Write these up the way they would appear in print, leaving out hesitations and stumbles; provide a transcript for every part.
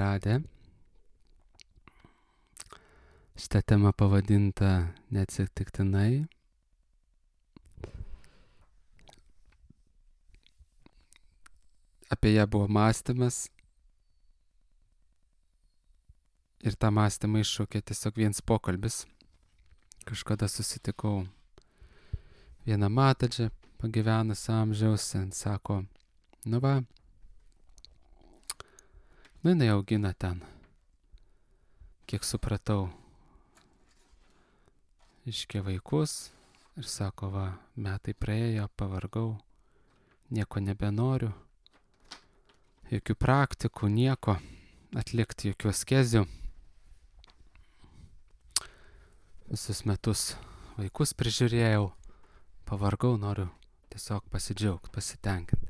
radę. Šitą temą pavadinta neatsitiktinai. Apie ją buvo mąstymas. Ir tą mąstymą iššaukė tiesiog vienas pokalbis. Kažkada susitikau vieną matadžią, pagyvenusią amžiaus, sako, jinai augina ten, kiek supratau, iškia vaikus ir sako, metai praėjo, pavargau, nieko nebenoriu, jokių praktikų, nieko, atlikti jokių askezių. Visus metus vaikus prižiūrėjau, pavargau, noriu tiesiog pasidžiaugti, pasitenkinti.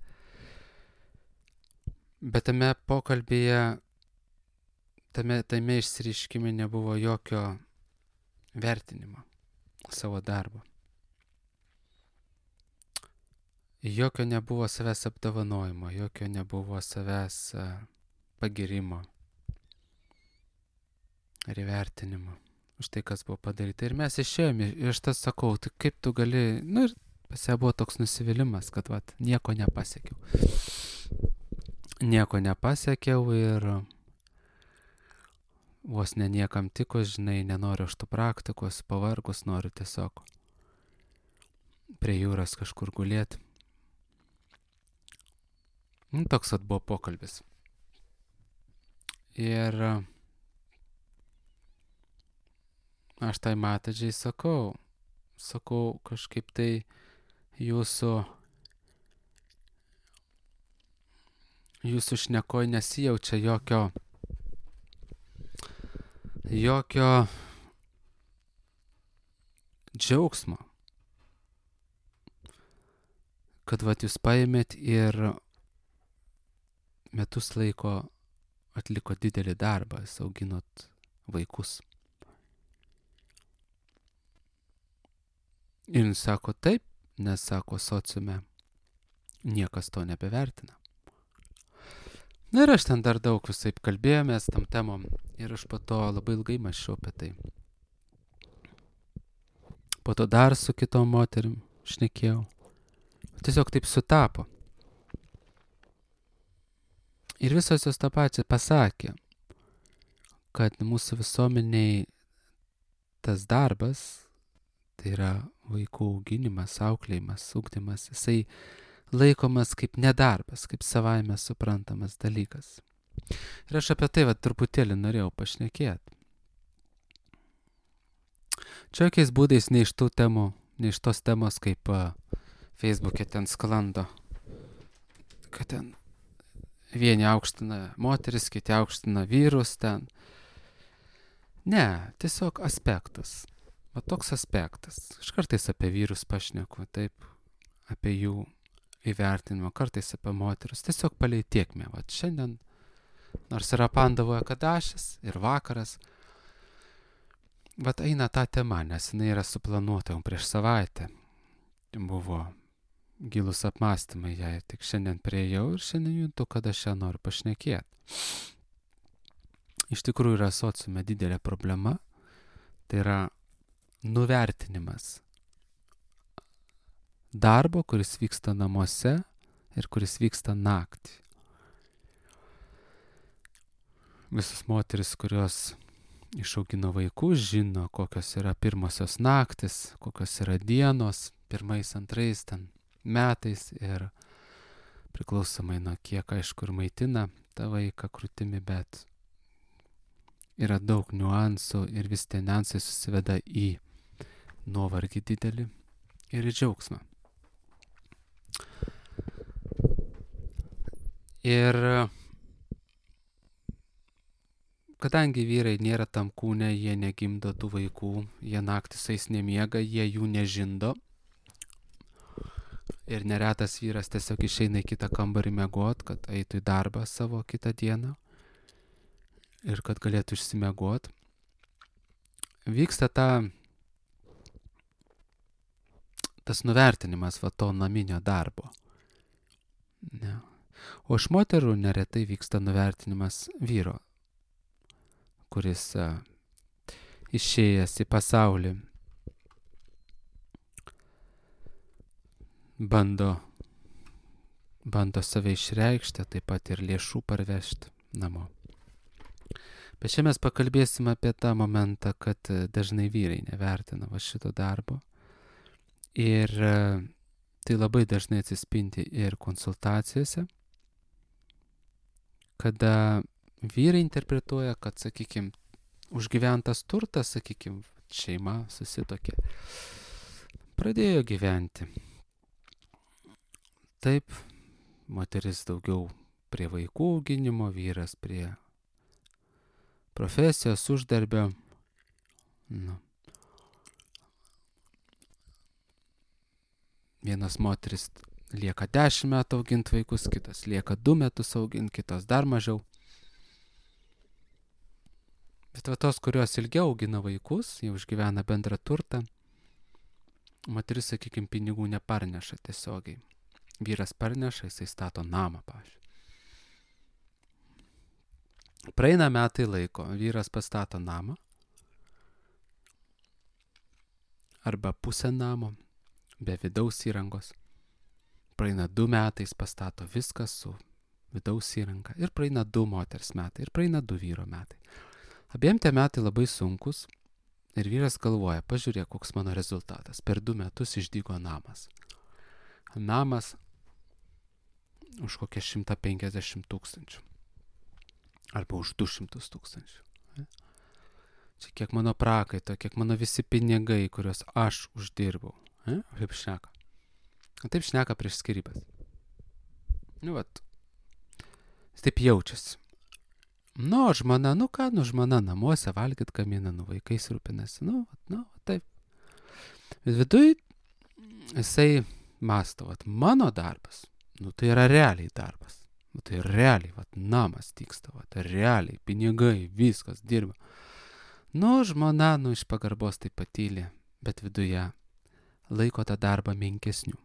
Bet tame pokalbėje, tame išsireiškime nebuvo jokio vertinimo savo darbo. Jokio nebuvo savęs apdovanojimo, jokio nebuvo savęs pagirimo ar įvertinimo už tai, kas buvo padaryta. Ir mes išėjome, ir aš tas sakau, tai kaip tu gali, ir pas ją buvo toks nusivylimas, kad nieko nepasiekiau. Nieko nepasiekiau ir vos ne niekam tikus, nenoriu aš tų praktikos, pavargus, noriu tiesiog prie jūros kažkur gulėti. Toks buvo pokalbis. Ir aš tai matadžiai sakau kažkaip tai jūsų šnekoj nesijaučia jokio džiaugsmo, kad jūs paėmėt ir metus laiko atliko didelį darbą, auginot vaikus. Ir jis sako taip, nes sako sociume niekas to nebevertina. Ir aš ten dar daug visaip kalbėjomės tam temom ir aš po to labai ilgai mąsčiau apie tai. Po to dar su kitom moterim šnekėjau. Tiesiog taip sutapo. Ir visos jos tą pačią pasakė, kad mūsų visuomeniai tas darbas, tai yra vaikų auginimas, auklėjimas, ugdymas, jisai laikomas kaip nedarbas, kaip savaime suprantamas dalykas. Ir aš apie tai truputėlį norėjau pašnekėti. Čia jokiais būdais ne iš tos temos, kaip Facebook'e ten sklando, kad ten vieni aukština moteris, kiti aukština vyrus ten. Ne, tiesiog aspektas. Toks aspektas. Aš kartais apie vyrus pašneku, taip, apie jų įvertinimą, kartais apie moteris. Tiesiog palei tiekmę. Šiandien, nors yra Pandavoje Kadašis ir vakaras, eina ta tema, nes jinai yra suplanuota jau prieš savaitę. Buvo gilus apmąstymai, jei tik šiandien priėjau ir šiandien juntu, kad aš ją noriu pašnekėti. Iš tikrųjų yra sociume didelė problema, tai yra nuvertinimas darbo, kuris vyksta namuose ir kuris vyksta naktį. Visos moteris, kurios išaugino vaikus, žino, kokios yra pirmosios naktis, kokios yra dienos, pirmais, antrais ten metais ir priklausomai nuo kiek, aišku, ir maitina tą vaiką krūtimi, bet yra daug niuansų ir vis tie niuansai susiveda į nuovargį didelį ir į džiaugsmą. Ir kadangi vyrai nėra tam kūne, jie negimdo tų vaikų, jie naktį su jais nemiega, jie jų nežindo. Ir neretas vyras tiesiog išeina į kitą kambarį miegot, kad eitų į darbą savo kitą dieną ir kad galėtų išsimiegot. Vyksta tas nuvertinimas to naminio darbo. Ne. O iš moterų neretai vyksta nuvertinimas vyro, kuris išėjęs į pasaulį bando save išreikšti, taip pat ir lėšų parvežti namo. Bet čia mes pakalbėsim apie tą momentą, kad dažnai vyrai nevertina šito darbo. Ir tai labai dažnai atsispindi ir konsultacijose, kada vyrai interpretuoja, kad, sakykime, užgyventas turtas, sakykime, šeima susitokė, pradėjo gyventi. Taip, moteris daugiau prie vaikų auginimo, vyras prie profesijos, uždarbio. Vienas moteris lieka 10 metų auginti vaikus, kitas lieka 2 metus auginti, kitas dar mažiau. Bet tos, kurios ilgiau augina vaikus, jau užgyvena bendrą turtą, moteris, sakykime, pinigų neparneša tiesiogiai. Vyras parneša, jisai stato namą, pavyzdžiui. Praeina metai laiko, vyras pastato namą arba pusę namo, be vidaus įrangos. Praeina 2 metai, jis pastato viską su vidaus įranga. Ir praeina 2 moters metai, ir praeina 2 vyro metai. Abiem tie metai labai sunkus ir vyras galvoja, pažiūrėk, koks mano rezultatas. Per 2 metus išdygo namas. Namas už kokią 150 000. Arba už 200 000. Čia kiek mano prakaito, kiek mano visi pinigai, kuriuos aš uždirbau. Taip šneka. Taip šneka prieš skyrybas. Jis taip jaučiasi. Žmona, žmona namuose valgyt gamina, vaikais rūpinasi. Taip. Bet viduj jisai mąsto, mano darbas, tai yra realiai darbas. Tai realiai, namas tyksta, realiai, pinigai, viskas dirba. Žmona, iš pagarbos taip patylė, bet viduje laiko tą darbą menkesniu.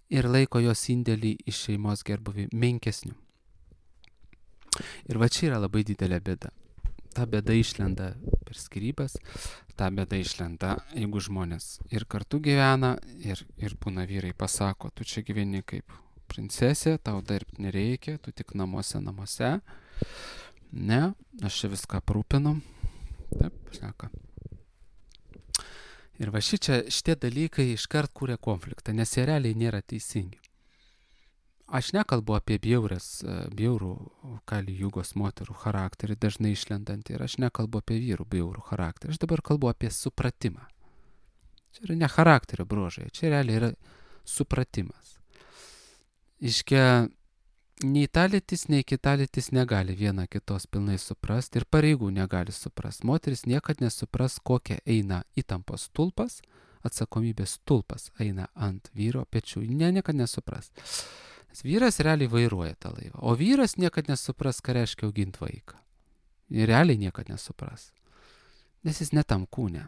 Ir laiko jos indėlį į šeimos gerbuvį menkesniu. Ir čia yra labai didelė bėda. Ta bėda išlenda per skyrybas, ta bėda išlenda, jeigu žmonės ir kartu gyvena, ir būna vyrai pasako, tu čia gyveni kaip princesė, tau dirbti nereikia, tu tik namuose. Ne, aš čia viską aprūpinu. Taip, šneka. Ir šitie dalykai iškart kūrė konfliktą, nes jie realiai nėra teisingi. Aš nekalbu apie bjaurų Kali Jugos moterų charakterį, dažnai išlendantį, ir aš nekalbu apie vyrų bjaurų charakterį. Aš dabar kalbu apie supratimą. Čia yra ne charakterio bruožai, čia realiai yra supratimas. Nei ta lytis, nei kita lytis negali viena kitos pilnai suprasti ir pareigų negali suprasti. Moteris niekad nesupras, kokia eina įtampos stulpas, atsakomybės stulpas eina ant vyro pečių. Niekad nesupras. Vyras realiai vairuoja tą laivą, o vyras niekad nesupras, ką reiškia auginti vaiką. Realiai niekad nesupras, nes jis netam kūne.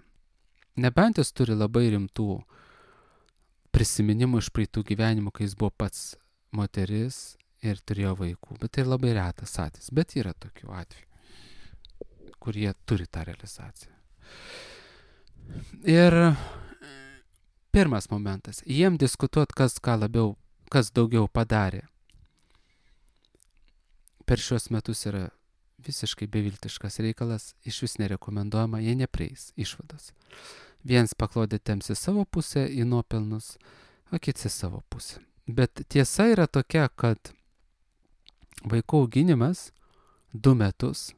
Nebent jis turi labai rimtų prisiminimų iš praeitų gyvenimų, kai jis buvo pats moteris ir turėjo vaikų. Bet tai labai retas atvejis, bet yra tokių atvejų, kurie turi tą realizaciją. Ir pirmas momentas, jiem diskutuot, kas daugiau padarė per šios metus yra visiškai beviltiškas reikalas, iš vis nerekomenduojama, jie neprieis išvados. Viens paklodė temsi savo pusę į nuopelnus, o kiti savo pusę. Bet tiesa yra tokia, kad vaikų auginimas 2 metus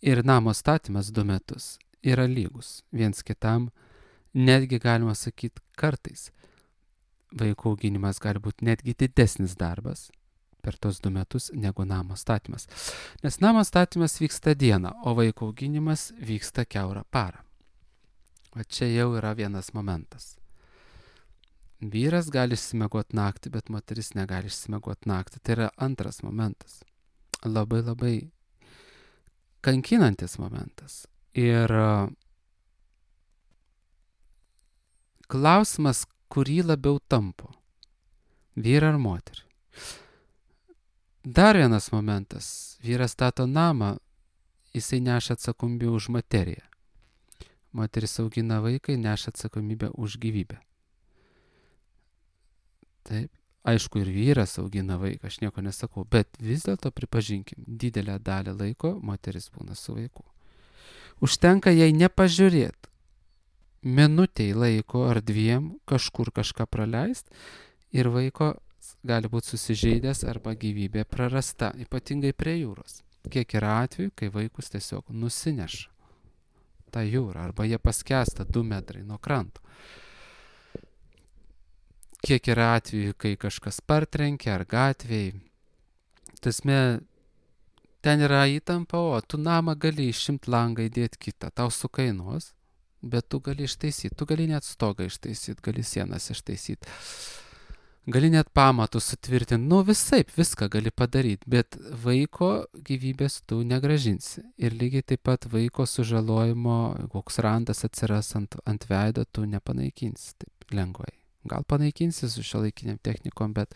ir namo statymas 2 metus yra lygus viens kitam, netgi galima sakyti kartais. Vaikų auginimas gali būti netgi didesnis darbas per tos 2 metus negu namo statymas. Nes namo statymas vyksta dieną, o vaikų auginimas vyksta kiaurą parą. O čia jau yra vienas momentas. Vyras gali išsimiegoti naktį, bet moteris negali išsimiegoti naktį. Tai yra antras momentas. Labai labai kankinantis momentas. Ir klausimas, kurį labiau tampo. Vyrą ar moterį. Dar vienas momentas. Vyras stato namą, jisai neša atsakomybę už materiją. Moteris augina vaiką, neša atsakomybę už gyvybę. Taip. Aišku, ir vyras augina vaiką, aš nieko nesakau, bet vis dėlto pripažinkim, didelę dalį laiko moteris būna su vaiku. Užtenka jai nepažiūrėti minutei laiko ar dviem kažkur kažką praleist ir vaiko gali būti susižeidęs arba gyvybė prarasta, ypatingai prie jūros. Kiek yra atvejų, kai vaikus tiesiog nusineša tą jūrą arba jie paskęsta 2 metrai nuo kranto. Kiek yra atvejų, kai kažkas partrenkia ar gatvėj. Tasme, ten yra įtampa, o tu namą gali išimti langą įdėti kitą, tau sukainuos, bet tu gali ištaisyti, tu gali net stogą ištaisyti, gali sienas ištaisyti, gali net pamatus sutvirtinti, visaip viską gali padaryti, bet vaiko gyvybės tu negražinsi. Ir lygiai taip pat vaiko sužalojimo, koks randas atsiras ant veido, tu nepanaikinsi taip lengvai. Gal panaikinsi su šiuolaikiniam technikom, bet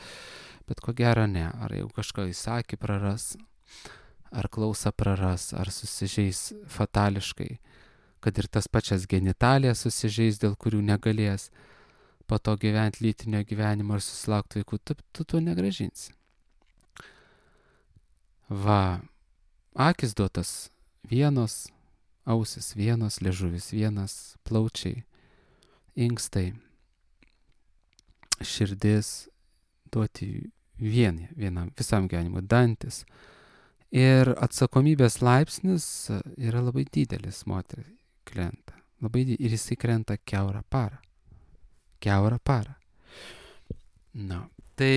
ko gero ne. Ar jau kažką įsakį praras, ar klausą praras, ar susižeis fatališkai, kad ir tas pačias genitalijas susižeis, dėl kurių negalės po to gyventi lytinio gyvenimo ir susilaukti vaikų, tu to negražinsi. Va, akis duotas vienos, ausis vienos, liežuvis vienas, plaučiai, inkstai, širdis duoti vienam visam gyvenimui, dantis. Ir atsakomybės laipsnis yra labai didelis moteriai krenta. Ir jisai krenta kiaurą parą. Tai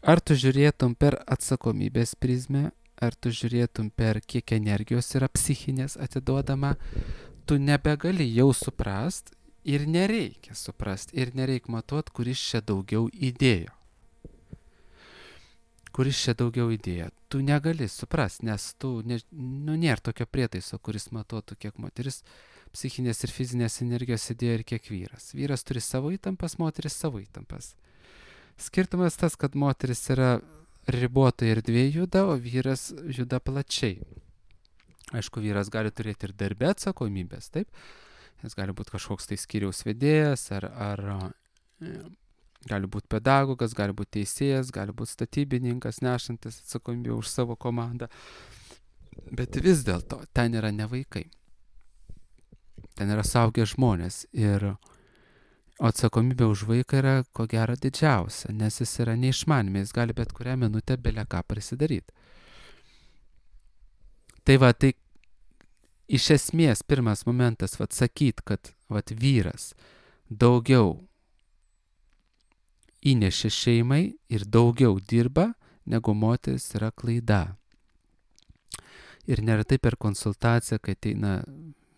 ar tu žiūrėtum per atsakomybės prizmę, ar tu žiūrėtum per kiek energijos yra psichinės atiduodama, tu nebegali jau suprast ir nereikia suprast, ir nereikia matuot, kuris čia daugiau įdėjo. Tu negali suprast, nes nėra tokio prietaiso, kuris matuotų, kiek moteris psichinės ir fizinės energijos įdėjo ir kiek vyras. Vyras turi savo įtampas, moteris savo įtampas. Skirtumas tas, kad moteris yra ribotoje erdvėje juda, o vyras juda plačiai. Aišku, vyras gali turėti ir darbe atsakomybės, taip? Jis gali būti kažkoks tai skyriaus vedėjas, ar gali būti pedagogas, gali būti teisėjas, gali būti statybininkas, nešantis atsakomybę už savo komandą. Bet vis dėlto, ten yra ne vaikai. Ten yra suaugę žmonės. Ir atsakomybė už vaiką yra ko gero didžiausia, nes jis yra neišmanimi, jis gali bet kurią minutę bele ką prisidaryti. Tai iš esmės, pirmas momentas, sakyt, kad vyras daugiau įnešė šeimai ir daugiau dirba, negu moteris, yra klaida. Ir neretai per konsultaciją, kai ateina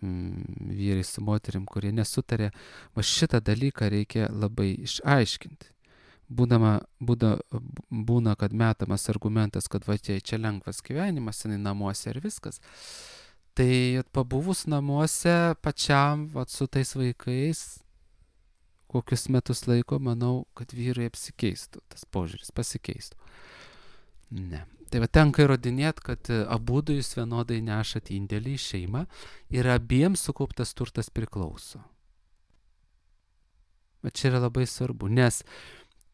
vyrai su moterim, kurie nesutarė, šitą dalyką reikia labai išaiškinti. Būna, kad metamas argumentas, kad čia lengvas gyvenimas, jinai namuose ir viskas. Tai pabuvus namuose pačiam su tais vaikais, kokius metus laiko, manau, kad vyrai apsikeistų, tas požiūris pasikeistų. Ne. Tai tenka įrodinėti, kad abudu jūs vienodai nešat indėlį į šeimą ir abiems sukauptas turtas priklauso. Bet čia yra labai svarbu, nes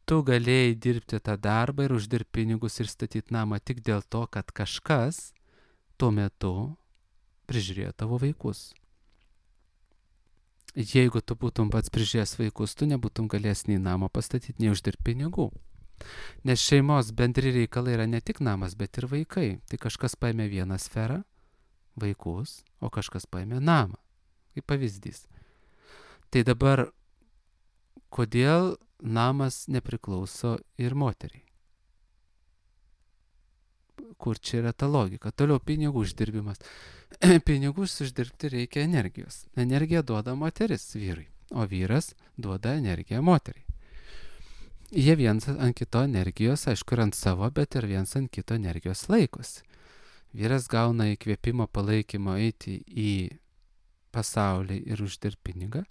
tu galėjai dirbti tą darbą ir uždirbti pinigus ir statyti namą tik dėl to, kad kažkas tuo metu prižiūrėjo tavo vaikus. Jeigu tu būtum pats prižiūrėjęs vaikus, tu nebūtum galėjęs nei namą pastatyti, nei uždirbti pinigų. Nes šeimos bendri reikalai yra ne tik namas, bet ir vaikai. Tai kažkas paėmė vieną sferą, vaikus, o kažkas paėmė namą. Kaip pavyzdys. Tai dabar, kodėl namas nepriklauso ir moteriai? Kur čia yra ta logika? Toliau pinigų uždirbimas. Pinigus uždirbti reikia energijos. Energiją duoda moteris vyrui, o vyras duoda energiją moteriai. Jie viens ant kito energijos, aišku, ir ant savo, bet ir viens ant kito energijos laikosi. Vyras gauna įkvėpimo, palaikymo eiti į pasaulį ir uždirbt pinigą,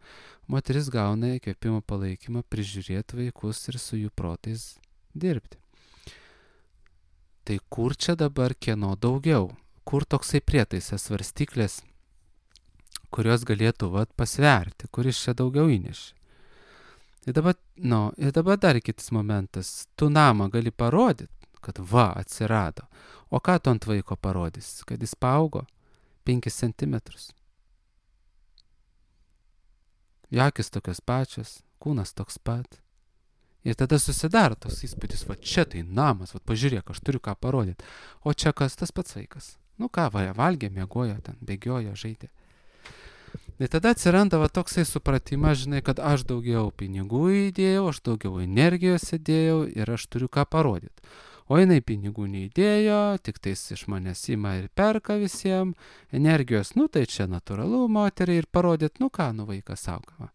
moteris gauna įkvėpimo palaikymą prižiūrėti vaikus ir su jų protais dirbti. Tai kur čia dabar kieno daugiau? Kur toksai prietaisas svarstyklės, kurios galėtų pasverti, kuris čia daugiau įnešė? Ir dabar dar kitas momentas. Tu namą gali parodyti, kad atsirado. O ką tu ant vaiko parodys? Kad jis paaugo 5 centimetrus. Jakis tokios pačios, kūnas toks pat. Ir tada susidaro toks įspūdis, čia tai namas, pažiūrėk, aš turiu ką parodyti. O čia kas, tas pats vaikas. Ką, valgė, miegojo, ten bėgiojo, žaidė. Ir tada atsiranda toksai supratimas, žinai, kad aš daugiau pinigų įdėjau, aš daugiau energijos įdėjau ir aš turiu ką parodyti. O jinai pinigų neįdėjo, tik tais iš manęs ima ir perka visiems, energijos, tai čia natūralu moteriai ir parodyti, vaikas auga.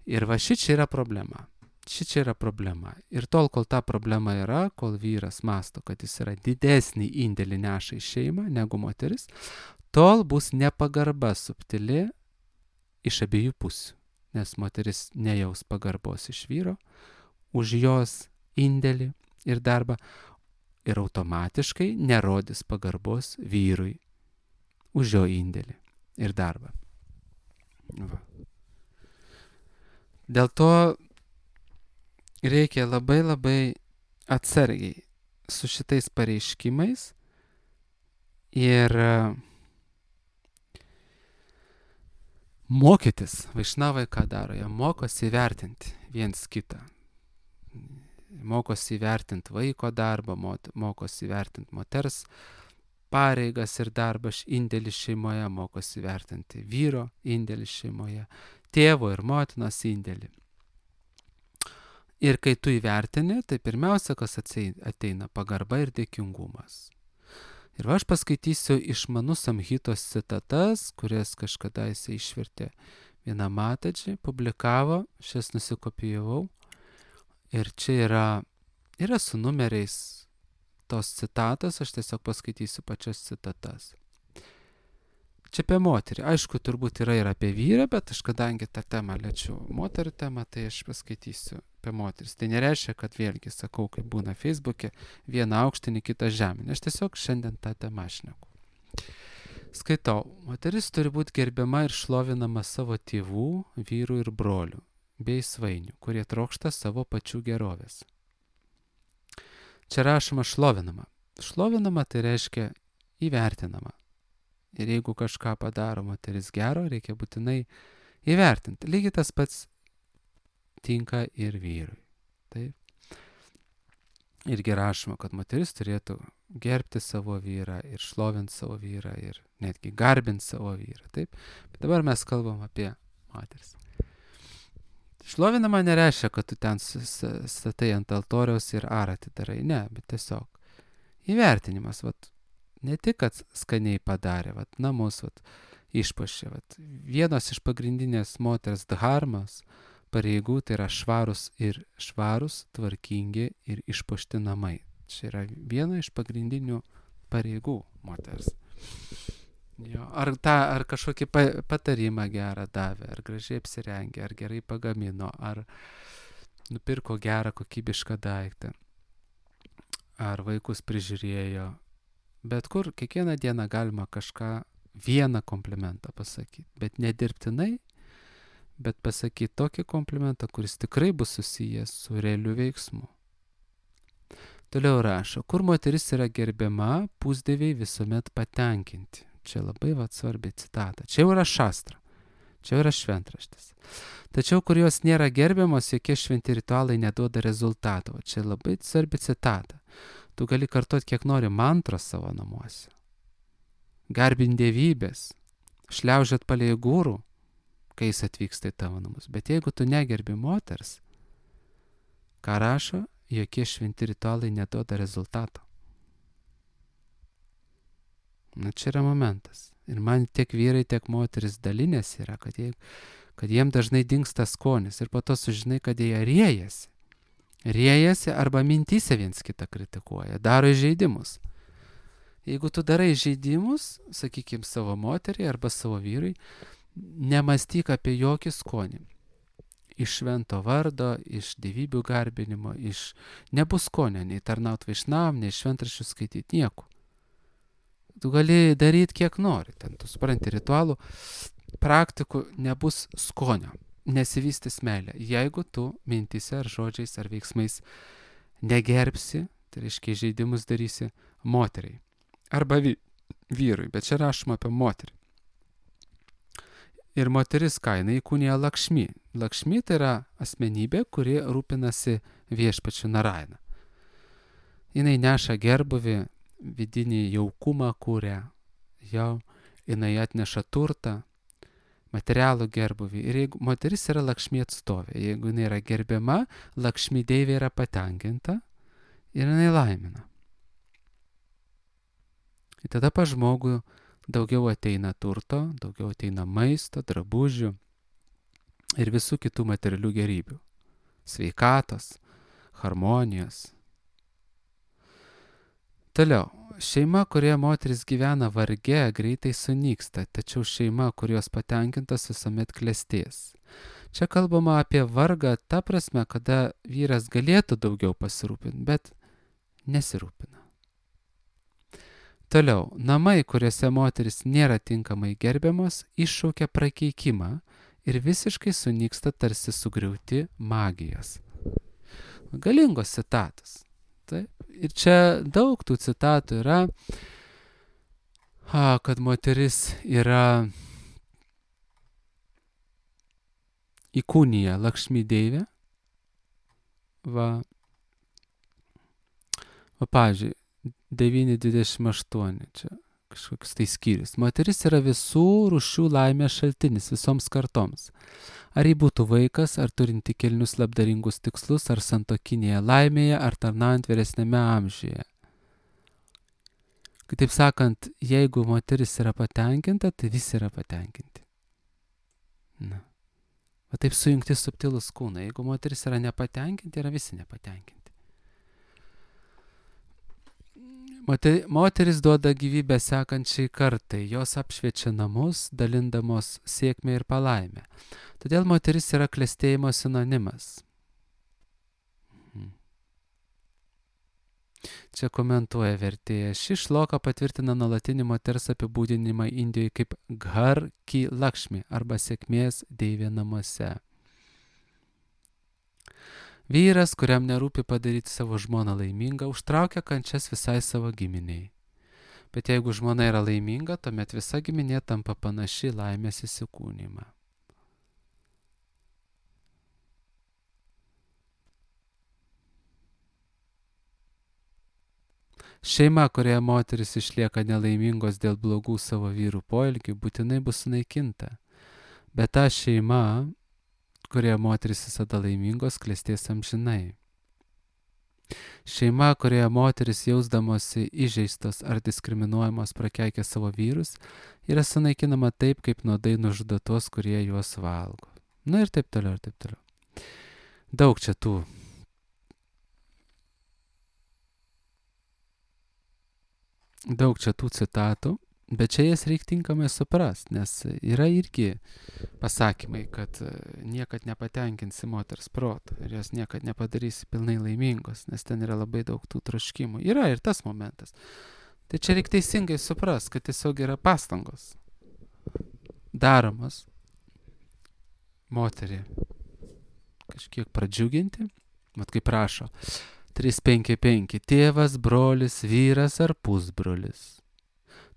Ir šičia yra problema. Šičia yra problema. Ir tol, kol ta problema yra, kol vyras masto, kad jis yra didesnį indėlį neša į šeimą negu moteris, tol bus nepagarba subtili iš abiejų pusių. Nes moteris nejaus pagarbos iš vyro už jos indėlį ir darbą ir automatiškai nerodys pagarbos vyrui už jo indėlį ir darbą. Dėl to reikia labai labai atsargiai su šitais pareiškimais ir mokytis. Vaišnavai ką daro? Jie mokosi įvertinti viens kitą. Mokosi įvertinti vaiko darbą, mokosi įvertinti moters pareigas ir darbą, indėlį šeimoje, mokosi įvertinti vyro indėlį šeimoje, tėvo ir motinos indėlį. Ir kai tu įvertini, tai pirmiausia, kas ateina pagarba ir dėkingumas. Ir aš paskaitysiu iš Manu Samhitos citatas, kurias kažkada jisai išvertė vieną Mataji, publikavo, šias nusikopijavau. Ir čia yra su numeriais tos citatos, aš tiesiog paskaitysiu pačias citatas. Čia apie moterį. Aišku, turbūt yra ir apie vyrą, bet aš kadangi tą temą liečiu moterų temą, tai aš paskaitysiu apie moteris. Tai nereiškia, kad vėlgi sakau, kaip būna Facebook'e, vieną aukštinį, kitą žeminį. Aš tiesiog šiandien tą temą šneku. Skaitau. Moteris turi būti gerbiama ir šlovinama savo tėvų, vyrų ir brolių bei svainių, kurie trokšta savo pačių gerovės. Čia rašoma šlovinama. Šlovinama tai reiškia įvertinama. Ir jeigu kažką padaro moteris gero, reikia būtinai įvertinti. Lygiai tas pats tinka ir vyrui. Taip. Irgi rašoma, kad moteris turėtų gerbti savo vyrą ir šlovinti savo vyrą ir netgi garbinti savo vyrą. Taip. Bet dabar mes kalbam apie moteris. Šlovinama nereiškia, kad tu ten statai ant altoriaus ir aratį darai. Ne, bet tiesiog įvertinimas. Ne tik, kad skaniai padarė, namus išpuošė. Vienos iš pagrindinės moters dharmas pareigų tai yra švarus, tvarkingi ir išpuošti namai. Čia yra viena iš pagrindinių pareigų moters. Jo, ar kažkokį patarimą gerą davė, ar gražiai apsirengė, ar gerai pagamino, ar nupirko gerą kokybišką daiktą, ar vaikus prižiūrėjo. Bet kur kiekvieną dieną galima vieną komplimentą pasakyti, bet nedirbtinai, bet pasakyti tokį komplimentą, kuris tikrai bus susijęs su realiu veiksmu. Toliau rašo, kur moteris yra gerbiama, pusdieviai visuomet patenkinti. Čia labai svarbi citata. Čia jau yra šastra, čia jau yra šventraštis. Tačiau, kur jos nėra gerbiamos, jokie šventi ritualai neduoda rezultato. Čia labai svarbi citata. Tu gali kartuoti, kiek nori mantras savo namuose. Garbint dievybės, šliaužiat palei gūrų, kai jis atvyksta į tavo namus. Bet jeigu tu negerbi moters, ką rašo, jokie šventi ritualai neduoda rezultato. Čia yra momentas. Ir man tiek vyrai, tiek moteris dalinės yra, kad jiem dažnai dingsta skonis ir po to sužinai, kad jie riejasi. Riejasi arba mintyse viens kitą kritikuoja, daro įžeidimus. Jeigu tu darai įžeidimus, sakykime, savo moteriai arba savo vyrui, Nemastyk apie jokį skonį. Iš švento vardo, iš dievybių garbinimo, nebus skonio, nei tarnaut vaišnavam, nei šventraščių skaityti, nieko. Tu gali daryti kiek nori, ten tu supranti ritualų, praktikų nebus skonio, nesivystys meilė. Jeigu tu mintise ar žodžiais ar veiksmais negerbsi, tai reiškia žaidimus darysi moteriai arba vyrui, bet čia rašoma apie moterį. Ir moteris ką, jinai įkūnija Lakšmi. Lakšmi tai yra asmenybė, kuri rūpinasi viešpačiu Narayana. Jinai neša gerbuvį, vidinį jaukumą kūrė, jinai atneša turtą, materialų gerbuvį. Ir jeigu moteris yra Lakšmi atstovė, jeigu jinai yra gerbiama, Lakšmi deivė yra patenkinta ir jinai laimina. Ir tada pas žmogų daugiau ateina turto, daugiau ateina maisto, drabužių ir visų kitų materialių gerybių. Sveikatos, harmonijos. Toliau, šeima, kurioje moteris gyvena varge, greitai sunyksta, tačiau šeima, kurios patenkintas visuomet klestės. Čia kalbama apie vargą ta prasme, kada vyras galėtų daugiau pasirūpinti, bet nesirūpina. Toliau, namai, kuriuose moteris nėra tinkamai gerbiamos, iššaukia prakeikimą ir visiškai sunyksta tarsi sugriauti magijos. Galingos citatos. Taip. Ir čia daug tų citatų yra, kad moteris yra įkūnija Lakšmi deivė. Pavyzdžiui, 9.28, čia kažkoks tai skyrius. Moteris yra visų rūšių laimės šaltinis visoms kartoms. Ar jį būtų vaikas, ar turinti kilnius labdaringus tikslus, ar santuokinėje laimėje, ar tarnaujant vyresnėme amžiuje. Kitaip sakant, jeigu moteris yra patenkinta, tai visi yra patenkinti. Va taip sujungti subtilus kūnai. Jeigu moteris yra nepatenkinti, yra visi nepatenkinti. Moteris duoda gyvybę sekančiai kartai, jos apšviečia namus, dalindamos sėkmę ir palaimę. Todėl moteris yra klestėjimo sinonimas. Čia komentuoja vertėja. Ši šloka patvirtina nuolatinį moters apibūdinimą Indijoje kaip Ghar Ki Lakšmi arba sėkmės deivė namuose. Vyras, kuriam nerūpi padaryti savo žmoną laimingą, užtraukia kančias visai savo giminiai. Bet jeigu žmona yra laiminga, tuomet visa giminė tampa panaši laimės įsikūnymą. Šeima, kurioje moteris išlieka nelaimingos dėl blogų savo vyrų poelgių, būtinai bus sunaikinta. Bet ta šeima, kurioje moteris visada laimingos, klestės amžinai. Šeima, kurioje moteris jausdamosi įžeistos ar diskriminuojamos prakeikia savo vyrus, yra sunaikinama taip, kaip nuodai nužudo tuos, kurie juos valgo. Na ir taip toliau, ir taip toliau. Daug čia tų citatų. Bet čia jas reikia tinkamai suprasti, nes yra irgi pasakymai, kad niekad nepatenkinsi moters proto ir jos niekad nepadarysi pilnai laimingos, nes ten yra labai daug tų troškimų. Yra ir tas momentas. Tai čia reikia teisingai suprasti, kad tiesiog yra pastangos daromos moterį kažkiek pradžiuginti, mat kaip rašo 355, tėvas, brolis, vyras ar pusbrolis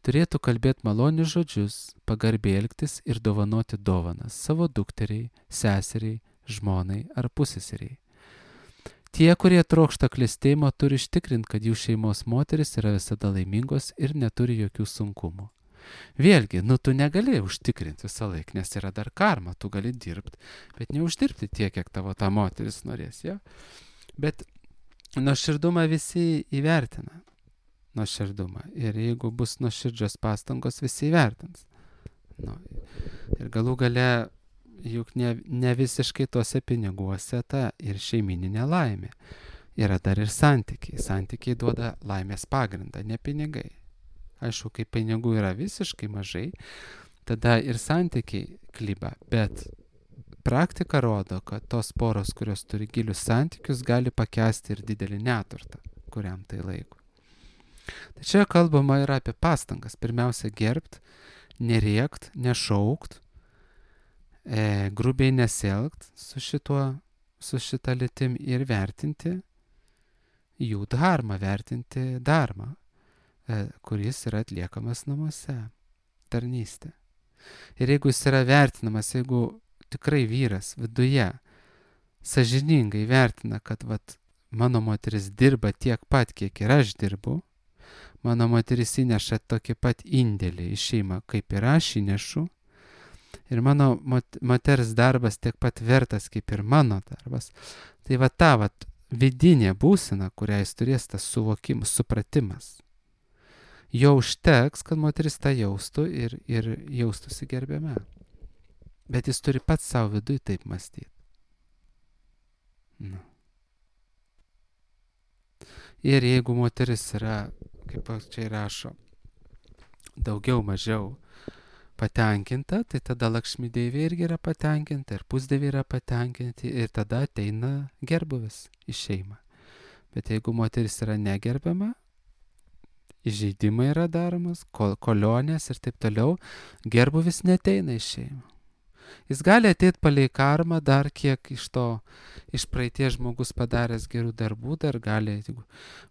turėtų kalbėti malonius žodžius, pagarbiai elgtis ir dovanoti dovanas savo dukteriai, seseriai, žmonai ar puseseriai. Tie, kurie trokšta klestėjimo, turi užtikrinti, kad jų šeimos moteris yra visada laimingos ir neturi jokių sunkumų. Vėlgi, tu negali užtikrinti visą laiką, nes yra dar karma, tu gali dirbti, bet neuždirbti tiek, kiek tavo ta moteris norės. Ja? Bet nuoširdumą visi įvertina. Nuoširdumą. Ir jeigu bus nuoširdžios pastangos, visi įvertins. Ir galų gale, juk ne visiškai tuose piniguose ta ir šeimininė laimė. Yra dar ir santykiai. Santykiai duoda laimės pagrindą, ne pinigai. Aišku, kai pinigų yra visiškai mažai, tada ir santykiai kliba, bet praktika rodo, kad tos poros, kurios turi gilius santykius, gali pakęsti ir didelį neturtą, kuriam tai laiko. Tai čia kalbama yra apie pastangas. Pirmiausia, gerbt, nerėkt, nešaukt, grubiai nesielgt su šita lytim ir vertinti jų dharmą, vertinti dharmą, kuris yra atliekamas namuose, tarnystė. Ir jeigu jis yra vertinamas, jeigu tikrai vyras viduje sąžiningai vertina, kad mano moteris dirba tiek pat, kiek ir aš dirbu, mano moteris įneša tokį pat indėlį į šeimą, kaip ir aš įnešu, ir mano moters darbas tiek pat vertas, kaip ir mano darbas, tai ta vidinė būsena, kurią jis turės, tas suvokimas, supratimas, jo užteks, kad moteris tą jaustų ir jaustųsi gerbiama. Bet jis turi pats savo vidui taip mąstyti. Ir jeigu moteris yra, kaip čia rašo, daugiau mažiau patenkinta, tai tada Lakšmi Deivė irgi yra patenkinta, ir pusdieviai yra patenkinti, ir tada ateina gerbuvis į šeimą. Bet jeigu moteris yra negerbiama, įžeidimai yra daromas, kolionės ir taip toliau, gerbuvis neteina į šeimą. Jis gali ateiti palei karmą, dar kiek iš praeities žmogus padaręs gerų darbų, dar gali,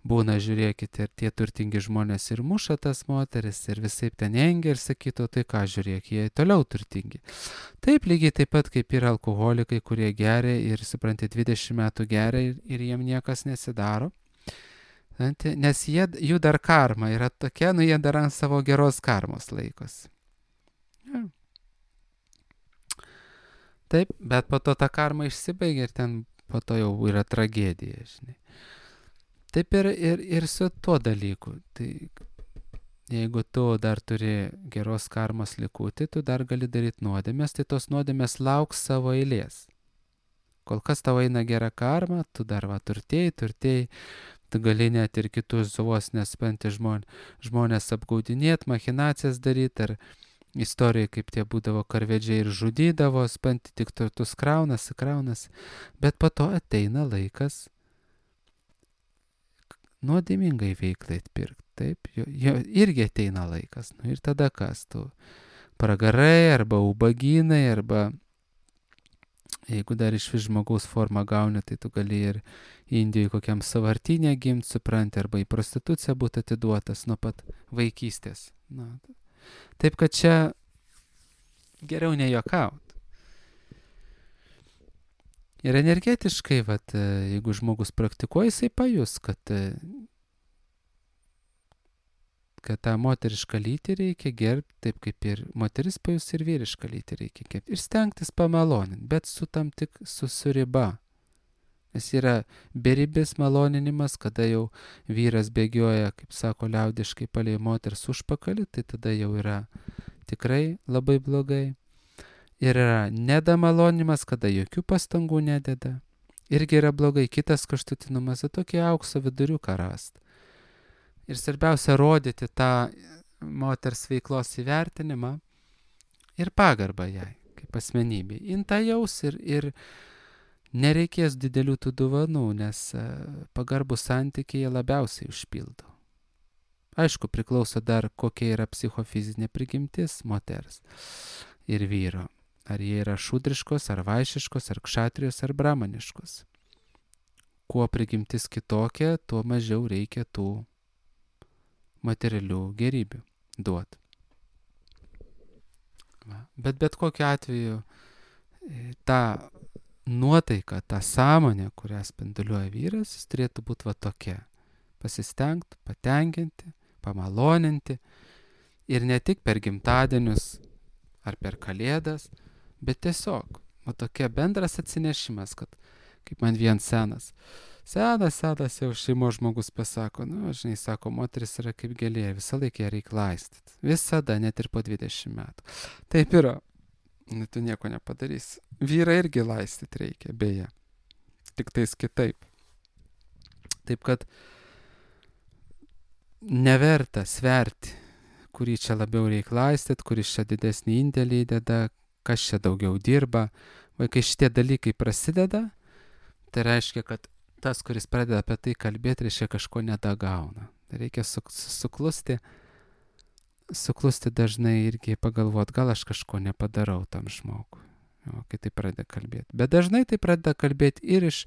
būna, žiūrėkite, ir tie turtingi žmonės ir muša tas moteris, ir visaip ten engia ir sakytų, tai ką, žiūrėk, jie toliau turtingi. Taip, lygiai taip pat kaip yra alkoholikai, kurie geria ir, supranti, 20 metų geria ir jiem niekas nesidaro. Nes jų dar karma yra tokia, jie dar ant savo geros karmos laikosi. Ja. Taip, bet po to ta karma išsibaigia ir ten po to jau yra tragedija, žinai. Taip ir su tuo dalyku. Tai jeigu tu dar turi geros karmos likutį, tu dar gali daryti nuodėmės, tai tos nuodėmės lauks savo eilės. Kol kas tavo eina gera karma, tu dar turtėjai, tu gali net ir kitus vos nespenti žmonės apgaudinėti, machinacijas daryti, ar istorijai, kaip tie būdavo karvedžiai ir žudydavo, spenti tik turtus kraunasi, bet po to ateina laikas nuodėmingai veiklai atpirkti, taip, jo irgi ateina laikas, ir tada kas tu, pragarai, arba ubagynai, arba jeigu dar iš vis žmogaus formą gauni, tai tu gali ir Indijoje kokiam savartinė gimti, supranti, arba į prostituciją būti atiduotas nuo pat vaikystės. Taip, kad čia geriau nejuokaut. Ir energetiškai, jeigu žmogus praktikuoja, jisai pajus, kad tą moterišką lytį reikia gerbti, taip kaip ir moteris pajus, ir vyrišką lytį reikia gerbti. Ir stengtis pamaloninti, bet su riba. Nes yra beribis maloninimas, kada jau vyras bėgioja, kaip sako liaudiškai, palei moters užpakalį, tai tada jau yra tikrai labai blogai. Ir yra nedamalonimas, kada jokių pastangų nededa. Irgi yra blogai. Kitas kraštutinumas, tokį aukso viduriuką rasti. Ir svarbiausia rodyti tą moters veiklos įvertinimą ir pagarbą jai, kaip asmenybei. Inta jaus ir nereikės didelių tų dovanų, nes pagarbų santykiai labiausiai užpildo. Aišku, priklauso dar, kokia yra psichofizinė prigimtis moters ir vyro. Ar jie yra šudriškos, ar vaišiškos, ar kšatrijos, ar bramaniškos. Kuo prigimtis kitokia, tuo mažiau reikia tų materialių gerybių duoti. Bet kokiu atveju ta nuotaika, ta sąmonė, kurią spinduliuoja vyras, jis turėtų būti tokia. Pasistengti, patenkinti, pamaloninti. Ir ne tik per gimtadienius ar per kalėdas, bet tiesiog, tokia bendras atsinešimas, kad, kaip man vien senas jau šeimos žmogus pasako, žinai, sako, moteris yra kaip gėlė, visą laiką ją reikia laistyti. Visada, net ir po 20 metų. Taip yra. Tu nieko nepadarysi. Vyrą irgi laistyti reikia, beje. Tik tais kitaip. Taip kad neverta sverti kurį čia labiau reikia laistyti, kuris čia didesnį indėlį įdeda, kas čia daugiau dirba. Kai šitie dalykai prasideda, tai reiškia, kad tas, kuris pradeda apie tai kalbėti, reiškia kažko nedagauna. Reikia suklusti dažnai irgi pagalvoti, gal aš kažko nepadarau tam žmogui, kai tai pradeda kalbėti. Bet dažnai tai pradeda kalbėti ir iš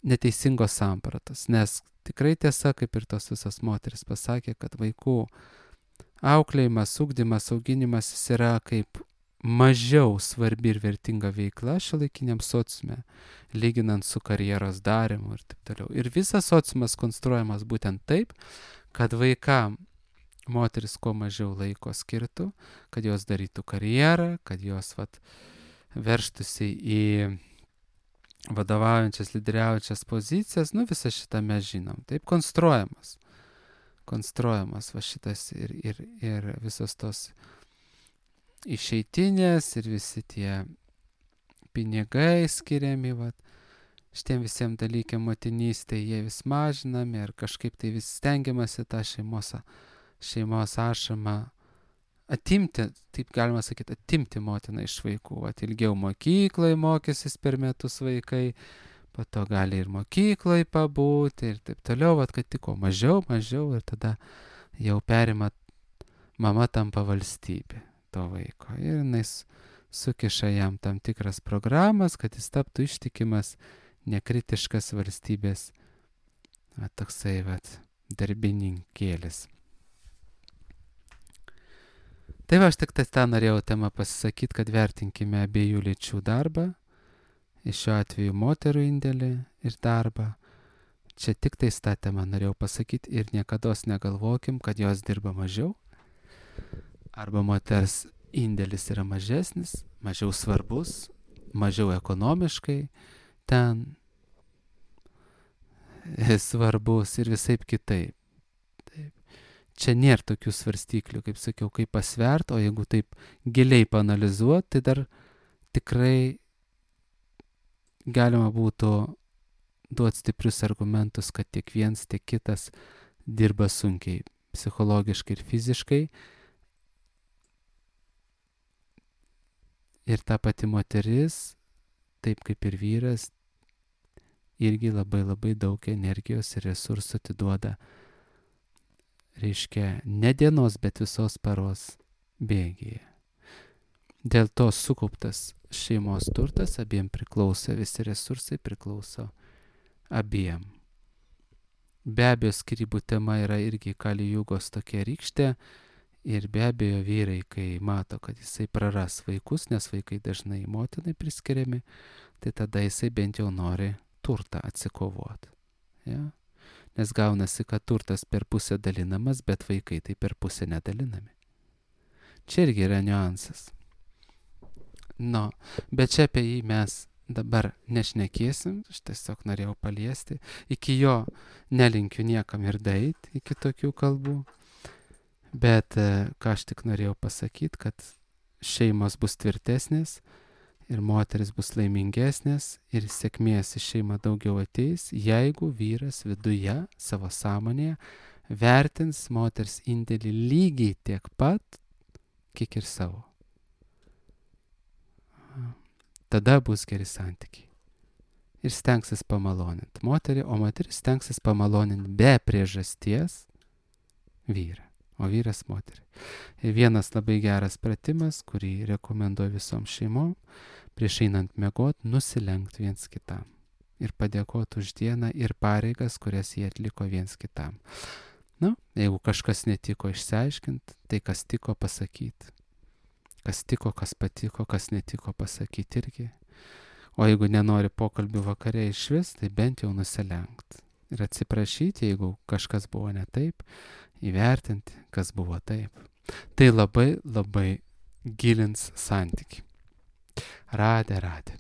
neteisingos sampratos, nes tikrai tiesa, kaip ir tos visos moteris pasakė, kad vaikų auklėjimas, ugdymas, auginimas yra kaip mažiau svarbi ir vertinga veikla šiuolaikiniam sociume, lyginant su karjeros darymu ir taip toliau. Ir visas sociumas konstruojamas būtent taip, kad vaikam moteris kuo mažiau laiko skirtų, kad jos darytų karjerą, kad jos verštųsi į vadovaujančias, lyderiaujančias pozicijas, visą šitą mes žinom. Taip konstruojamas šitas ir visos tos išeitinės ir visi tie pinigai skiriami, šitiem visiems dalykiam motinystėje, jie vis mažinami ir kažkaip tai vis stengiamasi tą šeimos ašamą atimti, taip galima sakyti, atimti motiną iš vaikų. Ilgiau mokykloje mokysis per metus vaikai, po to gali ir mokykloje pabūti ir taip toliau, kad tik ko mažiau ir tada jau perima, mama tampa valstybė to vaiko. Ir jinai sukiša jam tam tikras programas, kad jis taptų ištikimas, nekritiškas valstybės, toksai darbininkėlis. Tai aš tik tą norėjau temą pasisakyti, kad vertinkime abiejų lyčių darbą, iš šiuo atveju moterų indėlį ir darbą. Čia tik tais tą temą norėjau pasakyti ir niekados negalvokim, kad jos dirba mažiau, arba moters indėlis yra mažesnis, mažiau svarbus, mažiau ekonomiškai ten svarbus ir visaip kitaip. Čia nėra tokių svarstyklių, kaip sakiau, kaip pasvert, o jeigu taip giliai paanalizuoti, tai dar tikrai galima būtų duoti stiprius argumentus, kad tiek vienas, tiek kitas dirba sunkiai, psichologiškai ir fiziškai. Ir ta pati moteris, taip kaip ir vyras, irgi labai labai daug energijos ir resursų atiduoda, reiškia, ne dienos, bet visos paros bėgyje. Dėl to sukauptas šeimos turtas abiem priklauso, visi resursai priklauso abiem. Be abejo, skyrybų tema yra irgi Kali Jugos tokia rykštė ir be abejo vyrai, kai mato, kad jisai praras vaikus, nes vaikai dažnai motinai priskiriami, tai tada jisai bent jau nori turtą atsikovoti. Ja? Nes gaunasi, kad turtas per pusę dalinamas, bet vaikai tai per pusę nedalinami. Čia irgi yra niuansas. Bet čia apie jį mes dabar nešnekėsim, aš tiesiog norėjau paliesti. Iki jo nelinkiu niekam ir daeiti, iki tokių kalbų. Bet ką aš tik norėjau pasakyti, kad šeimos bus tvirtesnės ir moteris bus laimingesnės ir sėkmės į šeimą daugiau ateis, jeigu vyras viduje, savo sąmonėje, vertins moters indėlį lygiai tiek pat, kiek ir savo. Tada bus geri santykiai. Ir stengsis pamaloninti moterį, o moteris stengsis pamaloninti be priežasties vyrą, o vyras moterį. Ir vienas labai geras pratimas, kurį rekomenduoju visom šeimom, prieš einant miegot, nusilenkti viens kitam ir padėkoti už dieną ir pareigas, kurias jie atliko viens kitam. Jeigu kažkas netiko išsiaiškinti, tai kas tiko pasakyti. Kas tiko, kas patiko, kas netiko pasakyti irgi. O jeigu nenori pokalbių vakare išvis, tai bent jau nusilenkti. Ir atsiprašyti, jeigu kažkas buvo ne taip, įvertinti, kas buvo taip. Tai labai, labai gilins santykį. Radė.